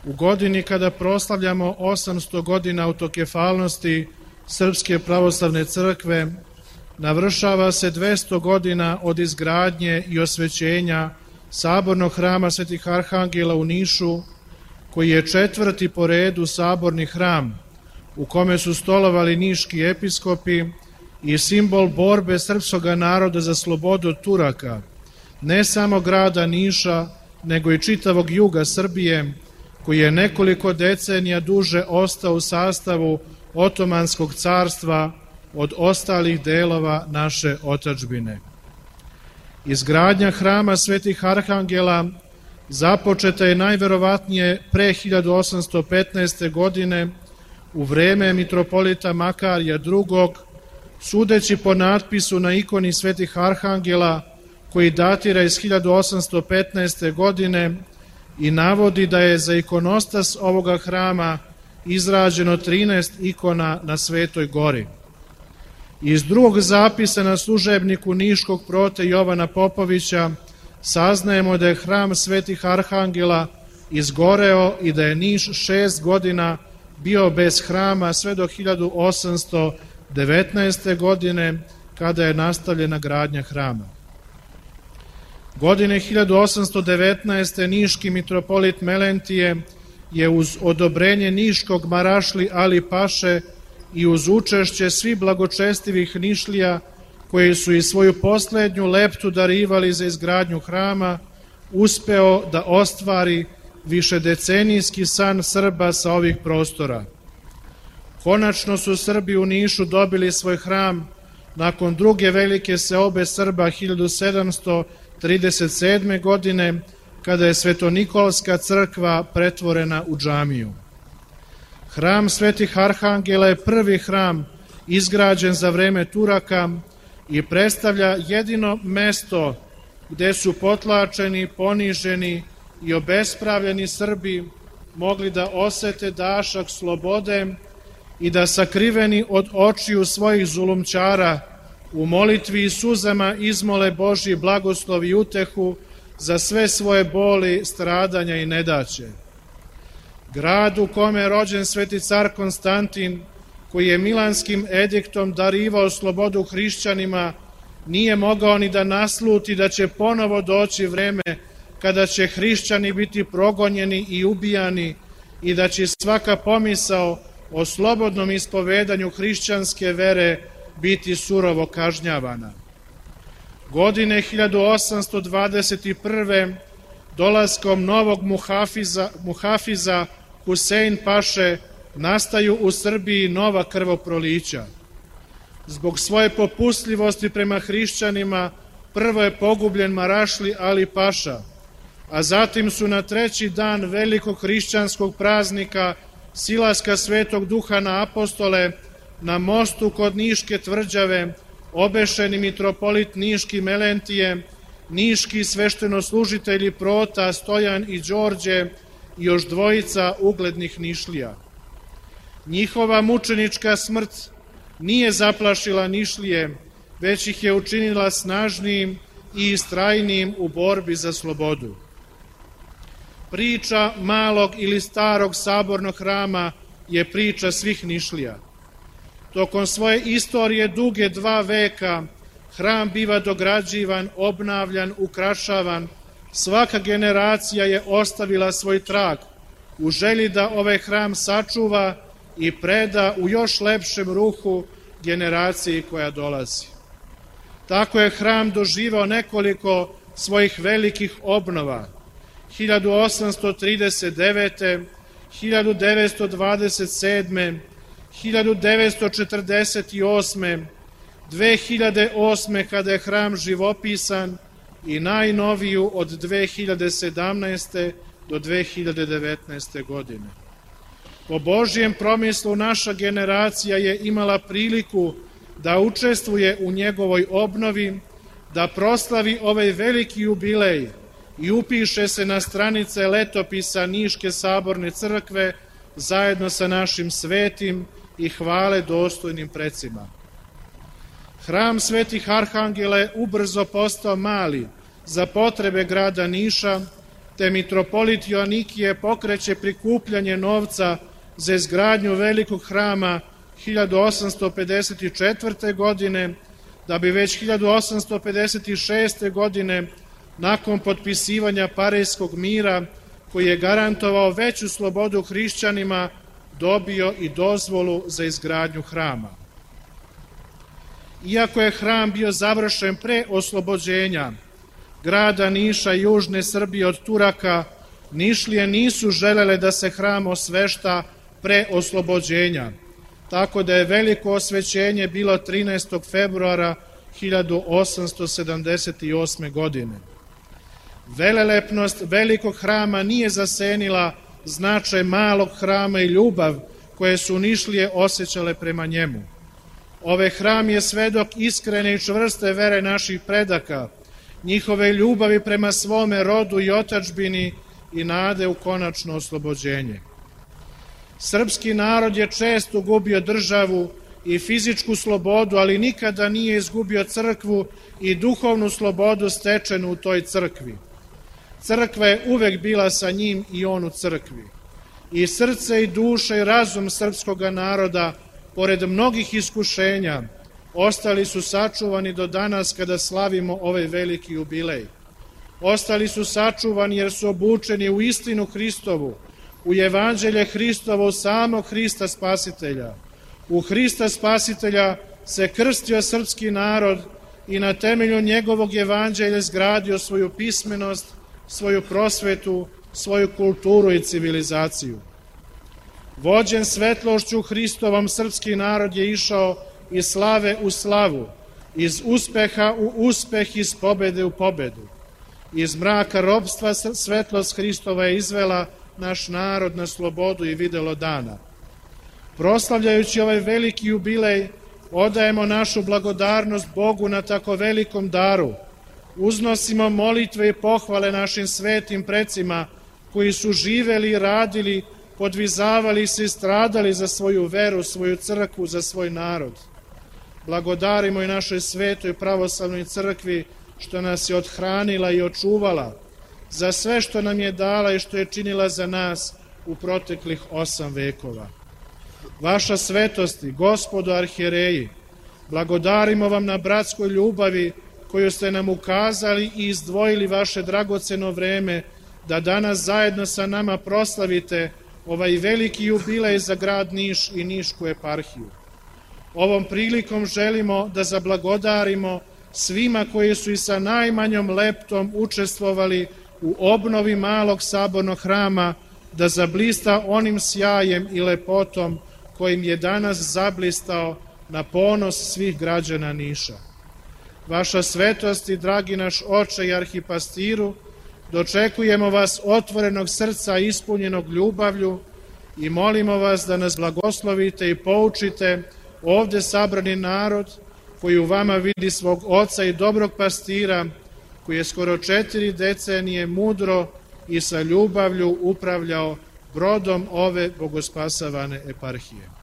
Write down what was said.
U godini kada proslavljamo 800 godina autokefalnosti Srpske pravoslavne crkve, navršava se 200 godina od izgradnje i osvećenja Sabornog hrama Svetih Arhangela u Nišu, koji je 4. po redu saborni hram u kome su stolovali niški episkopi i simbol borbe srpskog naroda za slobodu od Turaka, ne samo grada Niša, nego i čitavog juga Srbije, koji je nekoliko decenija duže ostao u sastavu Otomanskog carstva od ostalih delova naše otadžbine. Izgradnja hrama Svetih Arhangela započeta je najverovatnije pre 1815. godine u vreme mitropolita Makarija II, sudeći po natpisu na ikoni Svetih Arhangela koji datira iz 1815. godine i navodi da je za ikonostas ovoga hrama izrađeno 13 ikona na Svetoj gori. Iz drugog zapisa na služebniku niškog prote Jovana Popovića saznajemo da je hram Svetih Arhangela izgoreo i da je Niš 6 godina bio bez hrama sve do 1819. godine kada je nastavljena gradnja hrama. Godine 1819. niški mitropolit Melentije je uz odobrenje niškog marašli Ali Paše i uz učešće svih blagočestivih Nišlija koji su i svoju poslednju leptu darivali za izgradnju hrama, uspeo da ostvari višedecenijski san Srba sa ovih prostora. Konačno su Srbi u Nišu dobili svoj hram nakon druge velike seobe Srba 1737. godine, kada je Svetonikolska crkva pretvorena u džamiju. Hram Svetih Arhangela je prvi hram izgrađen za vreme Turaka i predstavlja jedino mesto gde su potlačeni, poniženi i obespravljeni Srbi mogli da osete dašak slobode i da sakriveni od očiju svojih zulumčara u molitvi i suzama izmole Božji blagoslov i utehu za sve svoje boli, stradanja i nedaće. Grad u kome je rođen sveti car Konstantin, koji je Milanskim ediktom darivao slobodu hrišćanima, nije mogao ni da nasluti da će ponovo doći vreme kada će hrišćani biti progonjeni i ubijani i da će svaka pomisao o slobodnom ispovedanju hrišćanske vere biti surovo kažnjavana. Godine 1821. dolaskom novog muhafiza Husein Paše nastaju u Srbiji nova krvoprolića. Zbog svoje popustljivosti prema hrišćanima prvo je pogubljen marašli Ali Paša, a zatim su na 3. dan velikog hrišćanskog praznika silaska Svetog Duha na apostole na mostu kod Niške tvrđave obešeni mitropolit Niški Melentije, niški sveštenoslužitelji Prota, Stojan i Đorđe i još dvojica uglednih Nišlija. Njihova mučenička smrt nije zaplašila Nišlije, već ih je učinila snažnijim i istrajnijim u borbi za slobodu. Priča malog ili starog sabornog hrama je priča svih Nišlija. Tokom svoje istorije duge 2 veka hram biva dograđivan, obnavljan, ukrašavan. Svaka generacija je ostavila svoj trag u želji da ovaj hram sačuva i preda u još lepšem ruhu generaciji koja dolazi. Tako je hram doživao nekoliko svojih velikih obnova. 1839. 1927. 1948. 2008. kada je hram živopisan i najnoviju od 2017. do 2019. godine. Po Božjem promislu naša generacija je imala priliku da učestvuje u njegovoj obnovi, da proslavi ovaj veliki jubilej i upiše se na stranice letopisa Niške saborne crkve zajedno sa našim svetim i hvale dostojnim precima. Hram Svetih Arhangela je ubrzo postao mali za potrebe grada Niša, te mitropolit Joanikije pokreće prikupljanje novca za izgradnju velikog hrama 1854. godine, da bi već 1856. godine, nakon potpisivanja Parijskog mira, koji je garantovao veću slobodu hrišćanima, dobio i dozvolu za izgradnju hrama. Iako je hram bio završen pre oslobođenja grada Niša i južne Srbije od Turaka, Nišlije nisu želele da se hram osvešta pre oslobođenja, tako da je veliko osvećenje bilo 13. februara 1878. godine. Velelepnost velikog hrama nije zasenila značaj malog hrama i ljubav koje su Nišlije osjećale prema njemu. Ovaj hram je svedok iskrene i čvrste vere naših predaka, njihove ljubavi prema svome rodu i otadžbini i nade u konačno oslobođenje. Srpski narod je često gubio državu i fizičku slobodu, ali nikada nije izgubio crkvu i duhovnu slobodu stečenu u toj crkvi. Crkva je uvek bila sa njim i on u crkvi. I srce i duša i razum srpskog naroda, pored mnogih iskušenja, ostali su sačuvani do danas kada slavimo ovaj veliki jubilej. Ostali su sačuvani jer su obučeni u istinu Hristovu, u evanđelje Hristovo, u samog Hrista Spasitelja. U Hrista Spasitelja se krstio srpski narod i na temelju njegovog evanđelja izgradio svoju pismenost, svoju prosvetu, svoju kulturu i civilizaciju. Vođen svetlošću Hristovom, srpski narod je išao iz slave u slavu, iz uspeha u uspeh, iz pobede u pobedu. Iz mraka robstva svetlost Hristova je izvela naš narod na slobodu i videlo dana. Proslavljajući ovaj veliki jubilej, odajemo našu blagodarnost Bogu na tako velikom daru. Uznosimo molitve i pohvale našim svetim precima koji su živeli i radili, podvizavali se i stradali za svoju veru, svoju crkvu, za svoj narod. Blagodarimo i našoj svetoj pravoslavnoj crkvi što nas je othranila i očuvala, za sve što nam je dala i što je činila za nas u proteklih 8 vekova. Vaša svetosti, gospodo arhijereji, blagodarimo vam na bratskoj ljubavi koju ste nam ukazali i izdvojili vaše dragoceno vreme da danas zajedno sa nama proslavite ovaj veliki jubilej za grad Niš i Nišku eparhiju. Ovom prilikom želimo da zablagodarimo svima koji su i sa najmanjom leptom učestvovali u obnovi malog sabornog hrama, da zablista onim sjajem i lepotom kojim je danas zablistao na ponos svih građana Niša. Vaša svetost i dragi naš oče i arhipastiru, dočekujemo vas otvorenog srca ispunjenog ljubavlju i molimo vas da nas blagoslovite i poučite ovde sabrani narod koji u vama vidi svog oca i dobrog pastira, koji je skoro 4 decenije mudro i sa ljubavlju upravljao brodom ove bogospasavane eparhije.